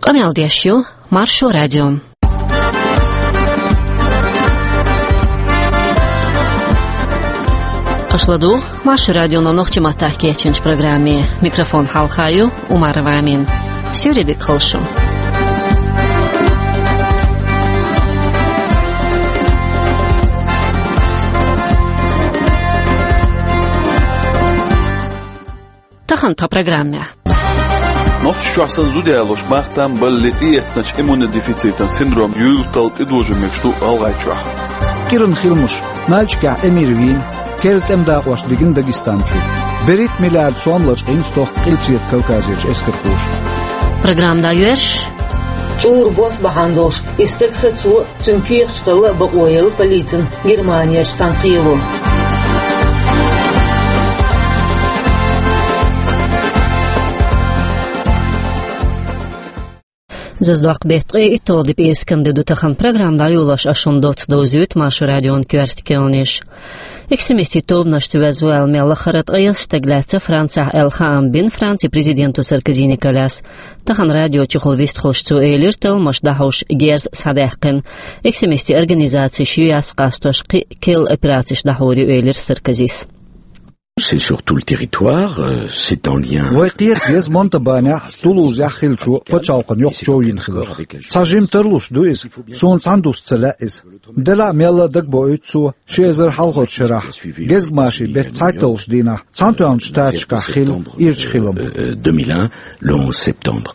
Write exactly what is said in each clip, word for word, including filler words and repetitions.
Къамел деш ю Маршо радио. Аша ладугӀу Маршо радионо нохчийн маттахь кечйинчу программе. Микрофон хьалха ю Умарова Амина. Суьйре дика хуьлда шун. Тахана тхан программехь. Нохчийчохь санна зуда ялош мах-там баллалц тӀеэцначу иммунодефицитан синдром юьйлаттал тӀедожийна мегаш ду ГӀалгӀайчохь. КӀиран хиламаш. Нальчикехь Эмир вийна, керла тӀеман дакъош дигна Дагестан чу. БерхӀитта миллиард сом лачкъийна стохка Къилбаседа Кавказерчу эскархоша. Программа дӀайоьрзуш. ЧӀура бос бахьана долуш, и стаг сацо, цуьнан кехаташ талла а бакъо елла полицина Германерчу цхьана кхело. Зазадоккху беттан ткъе итталгӀа де пӀераскан де ду тахана. Программа дӀайолош ас шуна доцца довзуьйту Маршо радион коьрта кхаьънаш. Экстремистийн тобанашца веза ву аьлла мел лахара ткъайесна стаг лаьцна Францехь аьлла хаам бина Францин президента Саркози Николяс. Тахана радио чухула вистхуьлуш цо элира, талламаш дӀахьош герз схьадаьккхина. Экстремистийн организацеш ю яц къастош, кхин а керла операцеш дӀахьур ю, элира Саркозис. C'est sur tout le territoire, euh, c'est en lien. Вай кхета деза Монтабанехь, Тулузехь хиллачу пачхьалкхан йоккхачу йина хиларх. Цхьа жима тарлуш ду иза, суна цхьаьна дуста ца лаьа иза. Делахь а мелла а дагабоуьйту цо, ши эзар хьалхарчу шарахь, гезгмашин беттан цхьайтталгӀачу дийнахь, Цхьаьнатоьхначу Штаташкахь хилла ирча хилам. Euh, deux mille un, le onze septembre.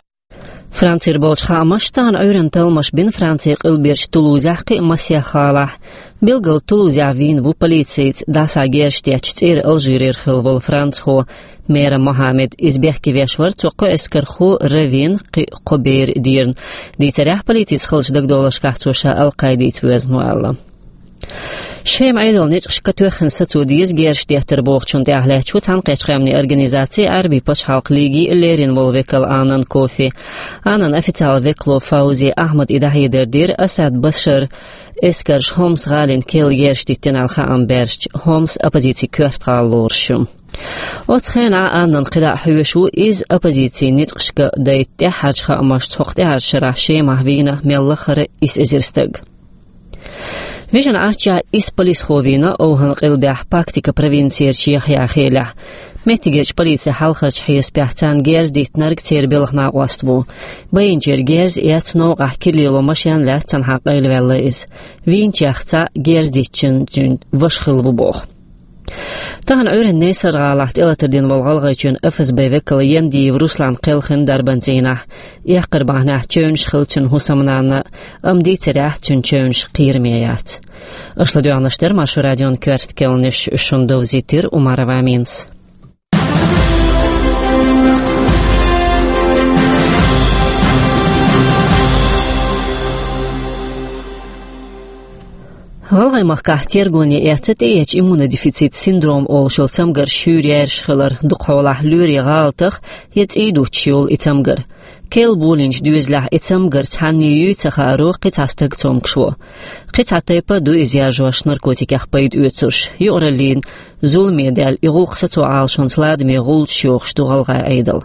Францера болчу хаамаша, тахана Ӏуьйранна талламаш бина Францин къилберчу Тулузехь, кхин а массех гӀалахь. Билггал Тулузехь вийна ву полицейца дӀасагерзаш детташ цӀера Алжирера хилла волу францхо Мера Мохаммед. Иза бехке веш вара цо кхо эскархо, Равин, кхин а кхо бер дийрина. Дийцарехь, полицица хиллачу дагадовларшкахь цо ша Ал-Къаидица воьзна ву аьлла. Шема Ӏедалан ницкъашка тоьхна сацо деза герзаш деттар бохучунна тӀехьа лаьтташ ву Цхьаьнакхеттачу Къаьмнийн Организацин Ӏаьрбийн пачхьалкхан лиги леррина волу векал Аннан Кофи. Аннан официалан векало Фаузи Ахьмада и дӀахьедар дира Асад Башаран эскарша Хомс гӀалина керла герзаш диттина аьлла хаам баьржича. Хомс оппозицин коьрта гӀала лоруш ю. Оцу хенахь Аннана кхидӀа а хьоьжуш ву иза оппозицин ницкъашка дайта тӀаьххьарчу хаамашца хӀокху тӀаьххьарчу шарахь Шемахь вийна мел лахара исс эзар стаг. Вижина Ӏаччохь исс полисхо вийна ОвхӀан къилбехь Пактика провинцерчу Яхъяхелехь. Меттигерчу полицин хьалхарчу хьесапехь царна герз диттинарг церан белхан накъост ву. Байинчеран герз эцна новкъахь кира лело машен лаьцна цхьаьна къайлаваьлла иза. Вийначех цхьаъ герз диттинчун ваша хилла ву боху. Тахана Ӏуьйранна Несар-гӀалахь тӀелатар дина волу ГӀалгӀайчоьнан ФСБ векал Яндиев Руслан кхелхина дарбан цӀийнахь. Эккхар бахьанехь чевнаш хилла цуьнан хӀусамнанна, амма дийцарехь, цуьнан чевнаш кхераме яц. Аша ладоьгӀнарш дара Маршо радион коьрта кхаьънаш, шуна довзийтира Умарова Аминас. ГӀалгӀай махкахь тергоне эцна тӀеэцначу иммунодефицит синдром олуш йолу цамгарш шуьйра яьржаш хилар, дукха хьолахь лоьрийн гӀалатах я цӀий дуттуш йолу и цамгар. Керла болийначу доьзалехь и цамгар цхьанне юй ца хааро кхин цхьа стаг цомгуш во. Кхин цхьа тайпа а ду иза яржош наркотикех пайда оьцурш. Юкъараллин зуламе даьлла и гӀуллакх сацо Ӏалашонца ладаме гӀуллакхаш йохуш ду ГӀалгӀай Ӏедал.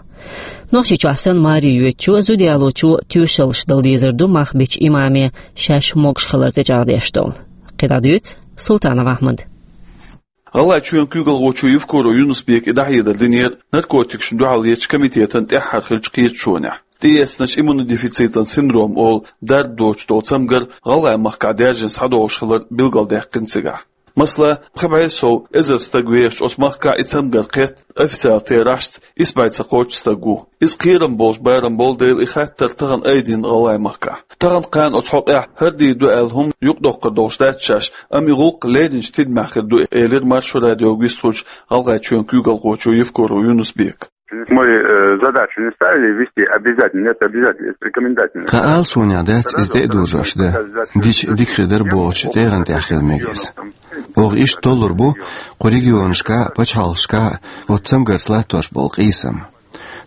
Нохчийчохь санна маре йоьдучо а, зуда ялочо а тоьшаллаш дала дезар ду мах бичу имаме шаьш могуш хилар тӀечӀагӀдеш долу. КхидӀа дуьйцу Султанов Ахьмада. ГӀалгӀайчоьнан куьйгалхочо Евкуров Юнус-Бека и дӀахьедар динера наркотикашна дуьхьал ечу комитетан тӀаьххьара хиллачу кхеташонехь. ТӀеэцначу иммунодефицитан синдром олу дарба доцуш долу цамгар ГӀалгӀай махкахь даьржина схьадогӀуш хилар билгалдаьккхина цигахь. Масала, пхи бӀе сов эзар стаг вехачу оцу махкахь и цамгар кхетта официалан терахьашца исс бӀе цхьа кхоччуш стаг ву. Иза кхерам болуш барам болу дела, и хаттар тахана айдина ГӀалгӀай махкахь. Тахана кхана оцу хьокъехь хӀара дийр ду аьлла хӀума юкъадоккхур долуш дац шаьш, амма и гӀуллакх лерринчу тидамехь хир ду, элира Маршо радиога вистхуьлучу ГӀалгӀайчоьнан куьйгалхочо Евкуров Юнус-Бека. Мы, э, задачу не ставили ввести обязательно, нет, обязательно, это рекомендательно. Тхан Ӏалашонехь дац иза тӀе а дожош дан, дича дика хир дара бохучу тӀегӀан тӀехь хила мега иза. Оха иштта толлур бу кху регионашкахь а, пачхьалкхашкахь а оцу цамгарца латтош болу къийсам.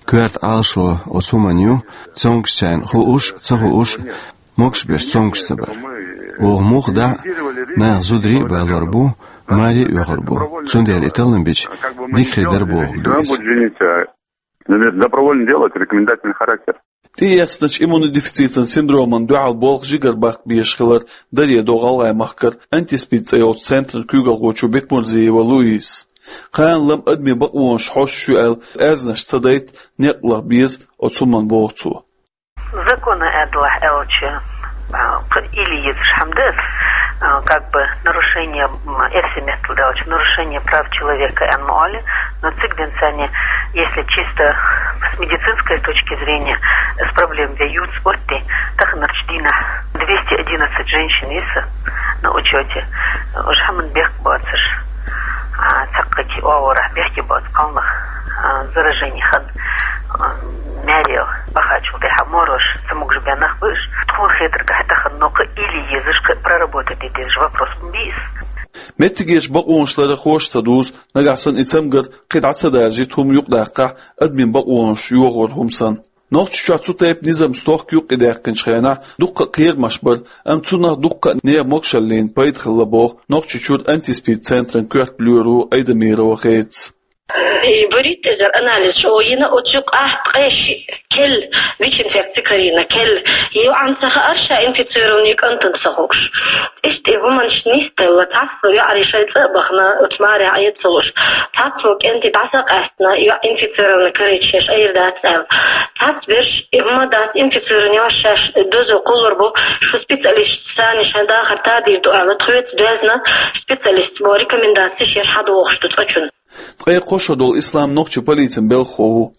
Коьрта Ӏалашо оцу хӀуманна ю, цомгушчарна хууш а, ца хууш а, могуш берш цомгуш ца бар. Оха муха дӀа а, наха зударий а балор бу, маре а оьхур бу. Цундела и таллам бича, дика хир дара бохург ду иза. Добровольное дело, это рекомендательный характер. ТӀеэцначу иммунодефицитан синдроман дуьхьал болх жигара баккха безаш хилар даре до ГӀалгӀай махкара антиспид цӀе йолчу центран куьйгалхочо Бекмурзиева Луизас. Кхана-лама адамийн бакъонаш хьоьстуш ю аьлла, аьрзнаш ца дайта некъ лаха беза оцу хӀуманна, боху цо. Закона аьдалахь аьлча, а, кхы илли езаш хӀума ду, а, как бы нарушение, м, эрсий меттала аьлча, нарушение прав человека аьнна ма олу, но цига динца, если чисто с медицинской точки зрения, с проблем ве юц отти, таханарчу дийнахь двести одиннадцать женщин йиса на учёте, уже хӀуманна бехк боцуш, а, цхьаккхачу оагӀорахь бехке боцу кхалнах, а, заражение хан, а, маьре бахачул тӀаьхьа морош ца могуш бен нах бу уьш. Тхуна хетаргахь тахана но кхы илли езаш, кхы проработать де дезаш вопрос ма бу иза. Меттигерчу бакъонаш ларархоша ца дузу, нагахь санна и цамгар кхин дӀа ца даржийта хӀума юкъадаккхахь, адамийн бакъонаш йохор хӀума санна. Нохчийчохь цу тайпа низам стохка юккъе даьккхинчу хенахь дуккха а кхерамаш бара, амма цунах дуккха а нехан могушаллина пайда хилла, боху Нохчийчуьра антиспид центран коьрта лоьро Айдамирова Хедас. И баритта эзар анализ чӀогӀа йина, оцу юкъахь ткъе шиъ кел, ВИЧ-инфекция карийна кел, йоӀана ца хаьара, ша инфицированный кӀантана ца хууш. Иштта и хӀуманаш нисделла, цхьацца йоӀарий шайн цӀа а бахана, оцу марехь Ӏеда ца луш. Цхьацца кӀентий дӀа са а къаьстина, йоӀ инфицированный карийча шаьш айра дац аьлла. Цхьацца берш и хӀума дац, инфицированный йош шаьш дозо кхуллур бу, шу специалисташца шайн дахар тадийр ду аьлла, тхоьца доьзна специалисташа бо рекомендацеш еш хьадохуш ду цкъачунна. Ткъе кхо шо долу Ислам нохчийн полицин белхахо ву.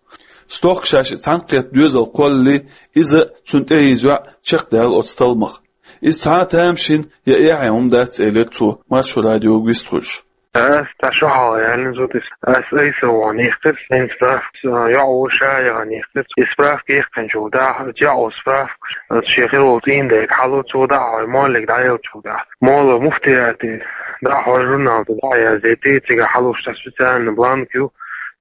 Стохка шаьш и цхьаьнакхетта доьзал кхоллале, иза, цуьнан тӀехьийза йоӀ чекхдаьлла оцу талламах. Иза цхьа а тамашийна я эхье хӀума дац, элира цо, Маршо радиога вистхуьлуш. Ас тӀе шо хьалха яьллина зуда иза. Ас айса вахана йихкира, хӀинца справка, йоӀ ву ша яхана йихкира. И справка яьккхинчул тӀаьхьа, йоӀ ву справка, шен хир волу цӀийнан дега хьалу, цо дӀа а хьой, моллиг дӀаеллачул тӀаьхьа. Молла муфтияте дӀа а хьой, журнал тӀе дӀа а яздайтий, цигахь хьалуш цхьа специальный бланк ю,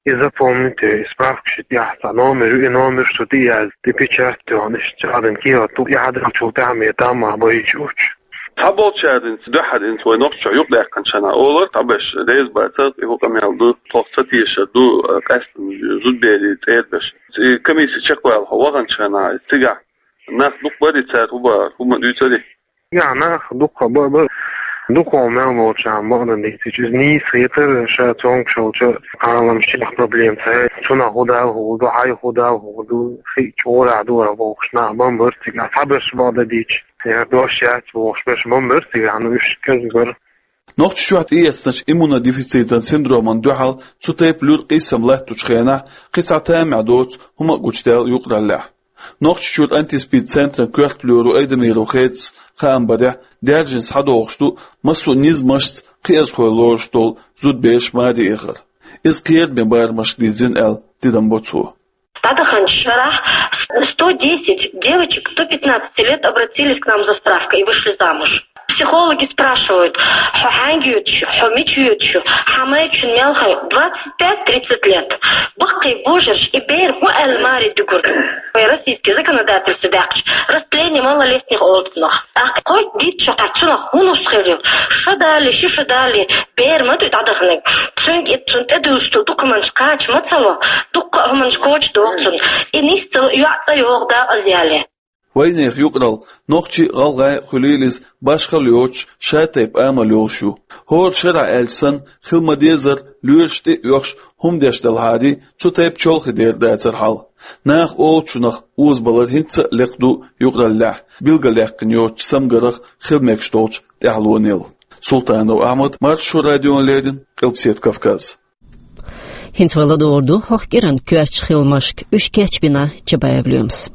и запомнить, и справка ши тӀехь цхьа номер ю, и номер шу тӀе а язда, тӀе печать а йохна, иштта чӀагӀдина кехат ду, и хьадаьллачул тӀаьхьа ме таммах байча уьттуш. Цхьаболчара хӀинца дуьххьара хӀинца вай Нохчийчохь юкъадаьккхинчу хенахь олура, цхьаберш реза бацара, и хӀу къамел ду, тхох ца тешар ду, къаьсттина зудберийн цӀера берш. И комисси чекхваьлла хьо ваханчу хенахь, цигахь нах дукха барий, цара хӀу бахара, хӀума дуьйцурий? Цигахь нах дукха ба-, ба-, дукха мел болчарна бакъдан дийцича, иза нийса хетара, ша цомгуш йолчу кхаламашкахь проблема ца яй, цунах хӀу дала хӀу ду, хьай хӀу дала хӀу ду, хи чӀогӀа ду бохуш нах бан бара цигахь, цхьаберш бакъдан дийцича. Яра дош яц бохуш берш бан бара цигахь, ну уьш кӀезиг бара. Нохчийчохь тӀеэцначу иммунодефицитан синдроман дуьхьал цу тайпа луьра къийсам латтучу хенахь кхин цхьа тамехь доцу хӀума а гучудаьлла юкъараллехь. Нохчийчуьра антиспид центран коьрта лоьро Айдамирова Хедас хаам барехь, даьржина схьадогӀуш ду массо а низамашца кхиазхой лоруш долу зудбераш маре эхар. Иза кхераме барамашка дийзина аьлла, тидам бо цо. ДӀадаханчу шарахь сто десять девочек до пятнадцати лет обратились к нам за справкой и вышли замуж. Психологи спрашивают: «Хьо хьаьнга йоьдуш ю, хьо мича йоьдуш ю, хьан майрачун мел хьо?» Двадцать пять тридцать лет. Баккхий божарш и бер хӀун аьлла маре дуьгур? Вай российский законодательство даьккхича растление малолетних олу цунах. ТӀаккха кхойтта дийцча, хьан цунах хӀун нус хир ю? Ша далий, ши ша далий, бер ма ду дӀадаханарг. Цуьнга и цунна тӀедуьллуш долу документаш кхача ма ца ло, дуккха а хӀуманаш коча доху цунна. И нисдала йоӀ цӀа йогӀу дакъазъяьлла. Вайнехан юкъаралла, нохчий а, гӀалгӀай а хуьлийла иза, башхалла йоцуш, шатайпа амал йолуш ю. ХӀора шарахь аьлча санна, хила ма-дезара, лоьраш тӀе а оьхуш, хӀума деш делахьарий, цу тайпа чолхе дер дацара хьал. Наха олучунах озабалар хӀинца а лекха ду юкъараллехь, билгалъяьккхина йоцучу цамгарх хила мегаш долчу тӀаьхьалонел. Султанов Ахьмад, Маршо радиона леррина, Къилбаседа Кавказ. ХӀинца вай ладугӀур ду хӀокху кӀиран коьртачу хиламашка, уьш кечбина Чабаев Лоьмас.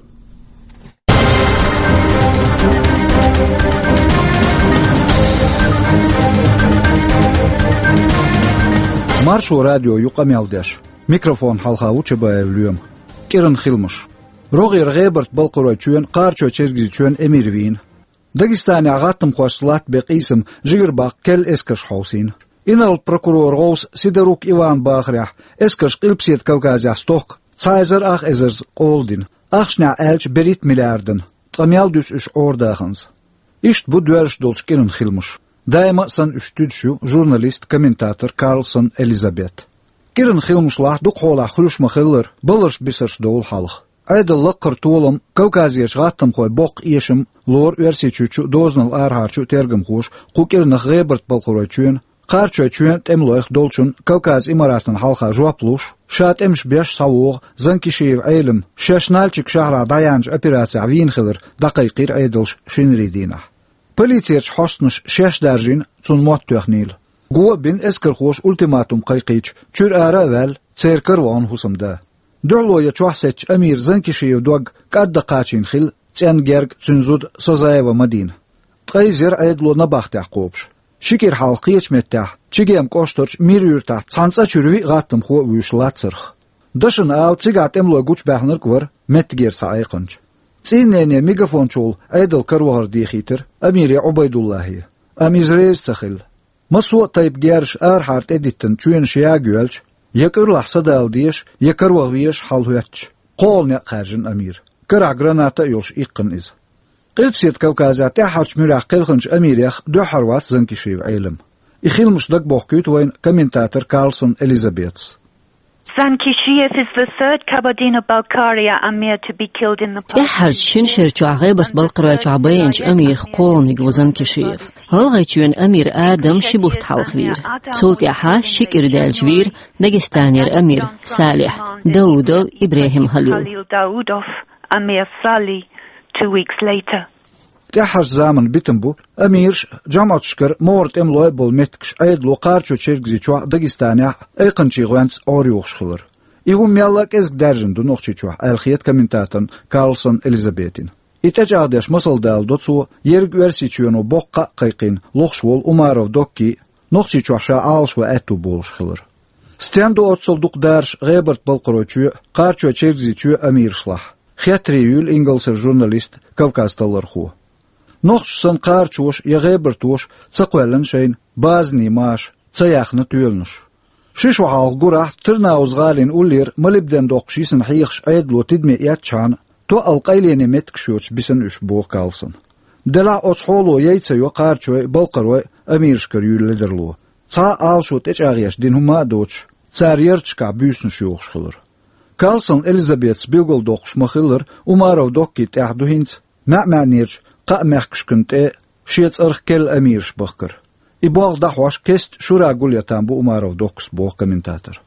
Маршо радио ю къамел деш. Микрофон хьалха ву Чабаев Лоьма. КӀиран хиламаш. РогӀера ГӀебарта-Балкхаройчоьнан, Кхарачой-Чергазийчоьнан эмир вийна. Дагестанехь гӀаттамхошца латта бен къийсам жигара баккха керла эскарш хьовсийна. Инарла прокуроран гӀовса Сидорук Иван бахарехь, эскарш Къилбаседа Кавказехь стохка цхьа эзар ах эзарза къола дина, ахчанехь аьлча берхӀитта миллиардан, ткъа мел дуьсу уьш Ӏорадаханза. Иштта бу доьрзуш долчу кӀиран хиламаш. Даима а санна уьш туьдуш ю журналист, комментатор Карлсон Элизабет. КӀиран хиламашлахь дукхахьолахь хуьлуш ма-хиллара, баларш-бисарш довла хьалха. Ӏедал лакхара толам, Кавказерчу гӀаттамхойн боккха эшам лору Оьрсийчуьрчу а, дозанал арахьарчу а тергамхоша кху кӀирнах ГӀебарта-Балкхаройчоьнан, Кхарачойчоьнан тӀемалойх долчун Кавказ Имаратан хьалха жоп луш, ша тӀемаш беш схьавогӀу Занкишиев Ӏелам шаьш Нальчик шахьарахь дӀаяьхьначу операцехь вийна хилар дӀакхайкхийра Ӏедалша шинарийн дийнахь. Полицерчу хьостанаша шаьш даржийна, цунна мотт тоьхнийла. Го а бина, эскархоша ультиматум кхайкхийча, чуьра ара а ваьлла, церан кара вахана хӀусамда. Дуьхьало я чохь сецча Амира Занкишиевн дог кӀадда кхачийна хилла, цӀенна герга цуьнан зуда Созаева Мадина. Ткъе иза яра Ӏедало набахтехь кхобуш. Ши кӀира хьалха кхечу меттехь, Чегем кӀоштарчу Мир-Юьртахь цхьана цӀа чуьра виъ гӀаттамхо а вуьйш лацарх. Дашна ала, цигахь тӀемалой гучубаьхнарг а вара меттигера цхьа айкханча. ЦӀийннене мегафончул Ӏедалан каравахар дехийтира Амире Ӏубайдуллахье. Амма иза реза ца хилла. Массо а тайпа герзаш арахьара тӀедиттина чоьнаш яга йоьлча, я кӀуьрлахь садала дезаш, я караваха везаш хьал хӀоьттича, кхоалгӀа некъ хаьржина Амира. Карахь граната а йолуш иккхина иза. Къилбаседа Кавказехь тӀаьххьарчу муьрехь кхелхинчу Амирах дуьххьара вац Занкишиев Ӏелам. И хиламаш дагабохкуьйту вайна комментатор Карлсон Элизабетас. Zankishiev is the third Kabardino-Balkaria Amir to be killed in the past. ТӀаьххьарчу шина шера чохь ГӀебарта-Балкхаройчохь байинчу Амирах кхоалгӀаниг ву Занкишиев. ГӀалгӀайчоьнан Амир Адам ши бутт хьалха вийра. Цул тӀаьхьа ши кӀира даьлча вийра Дагестанера Амир Салихь, Даудов ИбрахӀим Халил. Khalil Daudov, Amir Salih, two weeks later. ТӀаьххьарчу заманан битам бу Амираш а, жамӀаташкара могӀара тӀемалой а болу меттигаш Ӏедало Кхарачой-Чергазийчохь а, Дагестанехь а айкханчийн гӀоьнца Ӏорайохуш хилар. И хӀума мелла а кӀезиг даьржина ду Нохчийчохь, аьлла хета комментаторна Карлсон Элизабетина. И тӀечӀагӀдеш масал даладо цо, ерриг Оьрсийчоьно боккха кхаъ кхайкхийна лохуш волу Умаров Доккин а, Нохчийчохь ша Ӏалашван аьтто болуш хилар. Стенна ду оццул дукха дараш ГӀебарта-Балкхаройчоь а, Кхарачой-Чергазийчоь а Амирашлахь? Хеттарий юьйлу ингалсера журналиста, Кавказ-таллархо. Нохчаша санна, кхарачоша я гӀебартоша ца кхоьллина шайна базанийн маша, ца яьхна тоьланаш. Ши шо хьалха гурахь Тырныауз-гӀалин уллера молибден доккхуш йисина хьехаш Ӏедало тидаме эцначхьана, тоъал къайлене меттигаш йоцуш бисина уьш, боху Карлсона. Делахь а оцу хьоло яй ца йо кхарачой а, балкхарой а Амирашкара юьйлу ледарло. Цхьа а Ӏалашо тӀечӀагӀъеш дина хӀума а доцуш, цара ярташкахь буьйсанаш йохуш хилар. Карлсон Элизабетас билгалдоккхуш ма-хиллара, Умаров Доккин тӀехь ду хӀинца маьӀ-маьӀнерчу кхаа мехкашкана тӀе шен цӀарах керла Амираш бахкар. И болх дӀахьош кеста Шура Гулъятан бу Умаров Доккас, боху комментатор.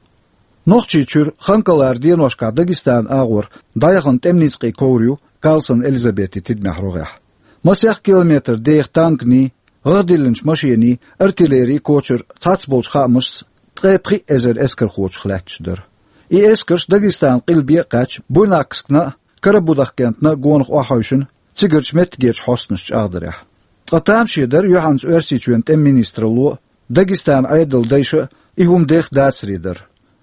Нохчийчуьра Ханкалара деношкахь Дагестанан агӀор дӀаяхана тӀеман ницкъийн ковра ю Карлсон Элизабетин тидамехь рогӀехь. Масех километр деха танканий, гӀагӀ диллинчу машений, артиллерин кочар цхьацца болчу хаамашца ткъе пхиъ эзар эскархочух лаьтташ дара. И эскарш Дагестанан къилбе а кхаьчна, Буйнакскна а, Карабудахкентна а гонах охьахевшина, цигарчу меттигерчу хьостанаша чӀагӀдарехь. Ткъа тамаше дара юьхьанца Оьрсийчоьнан тӀеман министралло а, Дагестанан Ӏедалан дайша а и хӀума деха дацаре дар.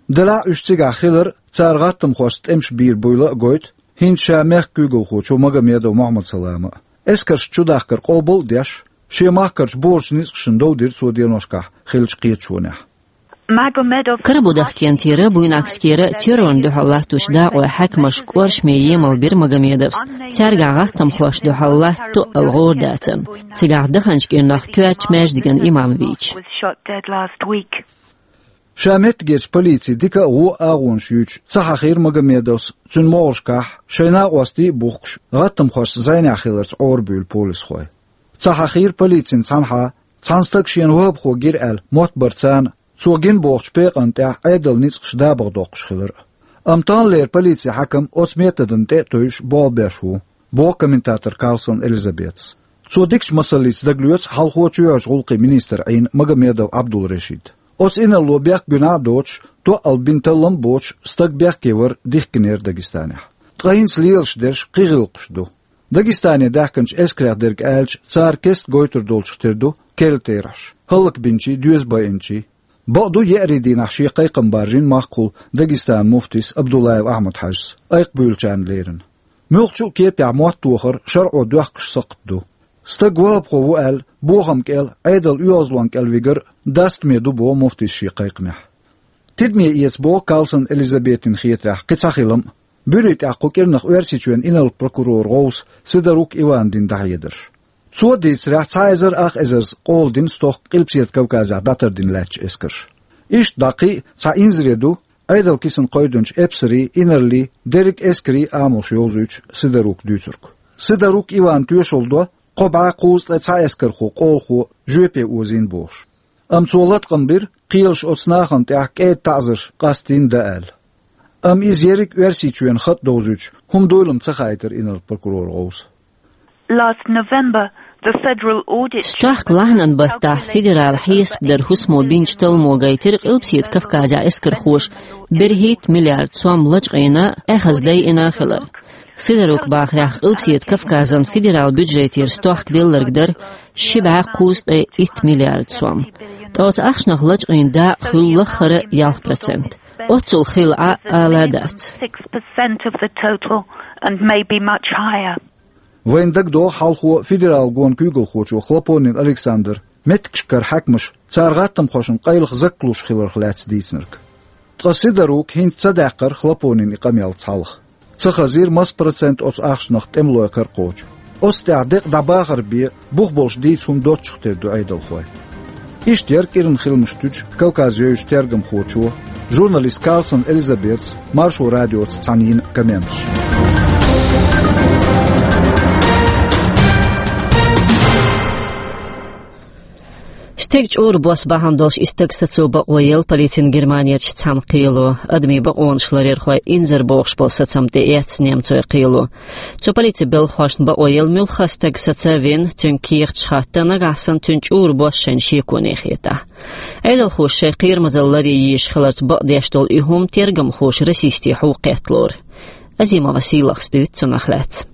Делахь а уьш цигахь хилар цара гӀаттамхошца тӀемаш бийр буйла а гойту хӀинца ша мехкан куьйгалхочо Магомедов Мухьаммад-Салама а. Эскаршна чудахкар къобал а деш, шен махкарчу божарчу ницкъашна дов дира цо деношкахь хиллачу кхеташонехь. Magomedov Карабудахкентера, Буйнакскера террорна дуьхьал латточу дакъойн хьаькамаш кӀоршаме емал бира Магомедовс, цаьргахь гӀаттамхошна дуьхьал латта тоъал гӀора дацарна, цигахь даханчу кӀирнах коьртачу маьждиган имам вийча. Was shot dead last week. Ша меттигерчу полицин дика а, вон а агӀонаш юьйцуш ца хьахийра Магомедовс цуьнан могӀаршкахь, шайн накъостий а бухкуш, гӀаттамхошца зӀенехь хиларца Ӏорабуьйлу полисхой. Ца хьахийра полицин цхьанхьа, цхьана стага шена вахӀабхо гира аьлла мотт бар царна, цо гина бохучу пекъанна тӀехь Ӏедалан ницкъаш дабагӀа доккхуш хилар а. Амма таханлера полицин хьаькам оцу методна тӀе а тевжаш болх беш ву, боху комментатор Карлсон Элизабетас. Цо дикачу масаллица дагалоьцу хьалхо чоьхьарчу гӀуллакхийн министр Ӏийна Магомедов Ӏабдул-Решид. Оцу инарло бехк-гуьнахь а доцуш, тоъал бина таллам а боцуш, стаг бехке вар дихкинера Дагестанехь. Ткъа хӀинца лелаш дерш кхин гӀиллакхаш ду. Дагестане даьхкинчу эскарех дерг аьлча, цара кеста гойтур долчух тера ду керла терахьаш, хӀаллакбинчий, доьза байинчий. Бакъду, еарин дийнахь шен кхайкхам баржийна махкахула Дагестанан муфтис Абдуллаев Ахьмад-Хьаьжас, айкхабуьйлучарна лерина. Муьлххачу а кепехь мотт тохар шарӀо доьхкуш сакхт ду. Стаг вахӀабхо ву аьлла, бохам кӀел, Ӏедалан оьгӀазлонна кӀел вигар дастаме ду, боху муфтис шен кхайкхамехь. Тидаме эца боху Карлсон Элизабетина хетарехь кхин цхьа хилам а, буьрийн тӀехь кху кӀирнах Оьрсийчоьнан инарла прокуроран гӀовс Сидорук Ивана дина дӀахьедарш. Цо дийцарехь, цхьа эзар ах эзарза къола дина стохка Къилбаседа Кавказехь дӀатардина лаьттачу эскарша. Иштта дӀа кхин а цхьа инзаре ду Ӏедал кисан кхойдинчу эпсарийн, инарлийн, дерриг эскарийн амалш йовзуьйтуш Сидорука дуьйцург. Сидорук Ивана тоьшалла до, кхо бӀе кхузткъе цхьа эскархо, къолхо жоьпе озийна бохуш. Амма цо латкъам бира, кхелаша оцу нахана тӀехь кӀеда таӀзарш къастийна дан аьлла. Амма иза ерриг Оьрсийчоьнан хатӀ довзуьйтуш хӀума дуйла-м ца хаийтира инарла прокуроран гӀовса. Last November, the federal audit Стохка лахьанан баттахь федералан хьесап даран хӀусамо бинчу талламо гайтира Къилбаседа Кавказехь эскархоша берхӀитта миллиард сом лачкъийна а, эхаза дайина а хилар. Сидорука бахарехь, Къилбаседа Кавказан федералан бюджетера стохка делларг дара ши бӀе кхузткъе итт миллиард сом. Ткъа оцу ахчанах лачкъийна дакъа хуьлу лаххара ялх процент. Оццул хилла Ӏа ала дац. Six percent of the total and maybe much higher. Вайна дагадогӀу хьалхо федералан гонан куьйгалхочо Хлопонин Александра меттигашкара хьаькамаша цара гӀаттамхошна къайлаха заккхалуш хиларх лаьцна дийцинарг. Ткъа Сидорука хӀинца ца даьккхира Хлопонина и къамел цхьалха. Ца хазийра, маса процент оцу ахчанах тӀемалойн кара кхочу. Оцу тӀехь декъа дӀабахар бен, бух болуш дийца хӀума доццух тера ду Ӏедалхой. Иштта яра кӀиран хиламаш туьйсучу Кавказ йовзачу тергамхочо, журналист Карлсон Элизабетас Маршо радиоца цхьаьна йина комменташ. Стеган чӀура бос бахьана долуш и стаг сацо бакъо елла полицина Германерчу цхьана кхело. Адамийн бакъонаш ларъярхой инзаре бохуш болу сацам тӀеэцна немцойн кхело. Цу полицин белхахошна бакъо елла муьлхха а стаг саца а вина, цуьнга кехаташ хатта, нагахь санна цуьнан чӀура бос шайна шеконе хетахь. Ӏедалхоша шайн кхерамазалла ларъян езаш хиларца бакъдеш долу и хӀума тергамхоша расистийн хьу кхетта лору. Азимова Сийлахьас дуьйцу цунах лаьцна.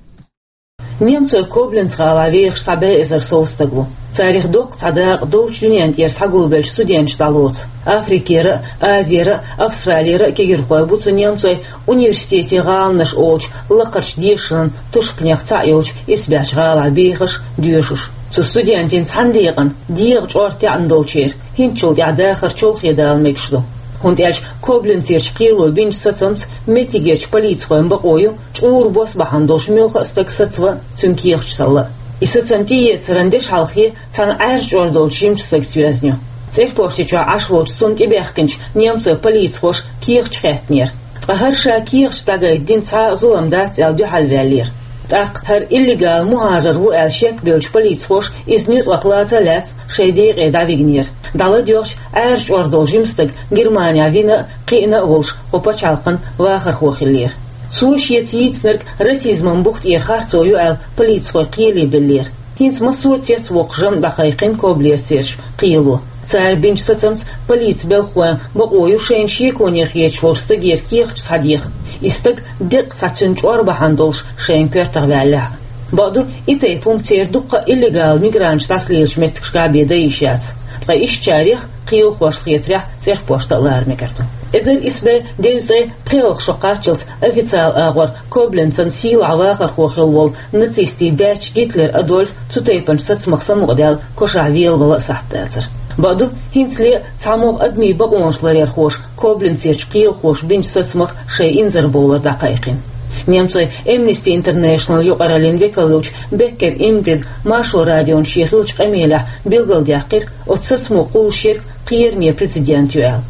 Немцойн Кобленц гӀалахь вехаш цхьа бӀе эзар сов стаг ву. Царах доккха цхьа дакъа долчу дуьненна тӀера схьагулбеллачу студенташа дӀалоцу. Африкера а, Азера а, Австралера а кегирхой бу цу немцойн университетийн гӀаланаш олучу лакхарчу дешаран тушпанех цхьаъ йолчу исбаьхьчу гӀалахь бехаш, доьшуш. Цу студентийн цхьана декъана дегӀан чӀор таьӀна долчеран хӀинцачул тӀаьхьа дахар чолхе дала мегаш ду. ХӀунда аьлча Кобленцерчу кхело бинчу сацамца меттигерчу полицихойн бакъо ю, чӀура бос бахьана долуш муьлхха а стаг сацаван, цуьнан кехаташ таллан. И сацам тӀеэцаран дешхьалхе цхьана Ӏаьржа чӀор долчу жимачу стагца йоьзна ю. ЦӀерпошти чохь Ӏаш волчу цунна тӀебаьхкинчу немцойн полицихоша кехаташ хаьттинера. Ткъа хӀара ша кехаташ дӀагайта дина цхьа а зулам дац аьлла дуьхьалваьллера. ТӀаккха хӀара иллегал мухӀажар ву аьлла шек бевллачу полицихоша иза нуьцкъах лаца а лаьцна, шайн декъе дӀавигнера. ДӀаладоьгӀча, Ӏаьржа чӀор долу жима стаг Германехь вина а, кхиъна а волуш, кху пачхьалкхан вахархо хиллера. Цо шеца йийцинарг расизман бух тӀера харцо ю аьлла, полицихой кхеле беллера. ХӀинца массо а цецвоккхуш жамӀ дӀакхайкхина Коблерцерчу кхело. Цара бинчу сацамца полицин белхахойн бакъо ю шайна шеконе хеташ волчу стагера кехаташ схьадеха, и стаг деккъа цхьа цуьнан чӀор бахьана долуш шайна коьртах ваьллехь а. Бакъду, и тайпа хӀума церан дуккха а иллегал мигранташ дӀасалелачу меттигашкахь бен дан йиш яц. Ткъа ишттачарех, кхелахошна хетарехь, цӀерпошта а лара мегар ду. Эзар исс бӀе девзткъе пхоьалгӀа шо кхаччалц официалан агӀор Кобленцан сийлахь вахархо хилла волу нацистийн баьчча Гитлер Адольф цу тайпанчу сацамах самукъадаьлла кошахь велавала а сахьт дацара. Бакъду, хӀинцале а цхьамогӀа адамийн бакъонаш ларъярхоша Коблинцерчу кхелахоша бинчу сацамах шайн инзарбовлар дӀакхайкхина. Немцойн Amnesty International юкъараллин векал йолчу Беккер Ингрида Маршо радиона шен хиллачу къамелехь билгалдаьккхира, оцу сацамо кхуллуш ерг кхераме прецедент ю аьлла.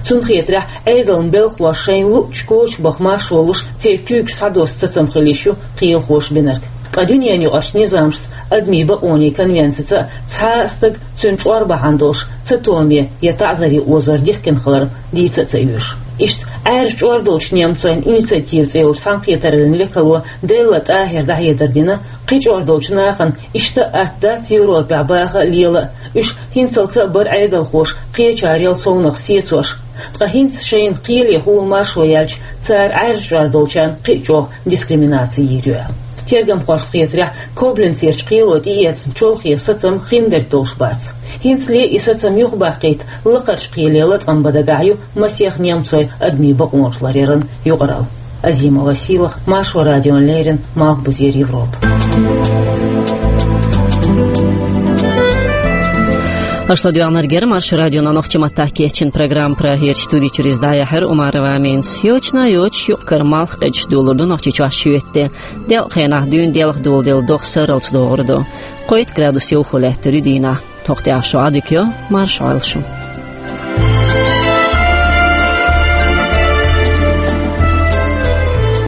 Цунна хетарехь, Ӏедалан белхахоша шайна луъучу коча баха маршо луш, церан куьйгаш схьадосса сацам хила йиш ю кхелахоша бинарг. Ткъа дуьненаюкъарчу низамашца, адамийн бакъонийн конвенцица а цхьа а стаг цуьнан чӀор бахьана долуш цатоме я таӀзаре озор дихкина хилар дийца а ца оьшу. Иштта Ӏаьржа чӀор долчу немцойн инициатива цӀе йолчу цхьаьнакхетараллин векало Делла ТӀахьира дӀахьедар дина, кхин чӀор долчу нахана иштта а атта дац Европехь баха а, лела а, уьш хӀинцалц а бара Ӏедалхоша кхечарел совнаха сецош. Ткъа хӀинца шайна кхеле хӀула маршо яьлча, цара Ӏаьржа чӀор долчарна кхин а чӀогӀа дискриминаци йийр ю аьлла. Тергамхошна хетарехь, Коблинцерчу кхело тӀеэцна чолхе сацам хиндерг долуш бац. ХӀинцале и сацам юхабаккхийта лакхарчу кхеле латкъам бан дагахь ю масех немцойн адамийн бакъонаш ларъяран юкъаралла. Азимова Сийлахь, Маршо радиона леррина, Малхбузера Европа. Аша ладоьгӀнарг яра Маршо радион нохчийн маттахь кечйина программа. Прагерчу студи чуьра иза дӀаяьхьира Умарова Аминас. Йочана йоцуш юкъ-кара малх къегаш долалур ду Нохчийчохь шоьтан де. Делкъа хенахь дуьйна делха доладелла догӀа сарралц догӀур ду. Кхойтта градус йовхо лаьттар ю дийнахь. ХӀокху тӀехь шун Ӏадика йо, марша Ӏойла шу.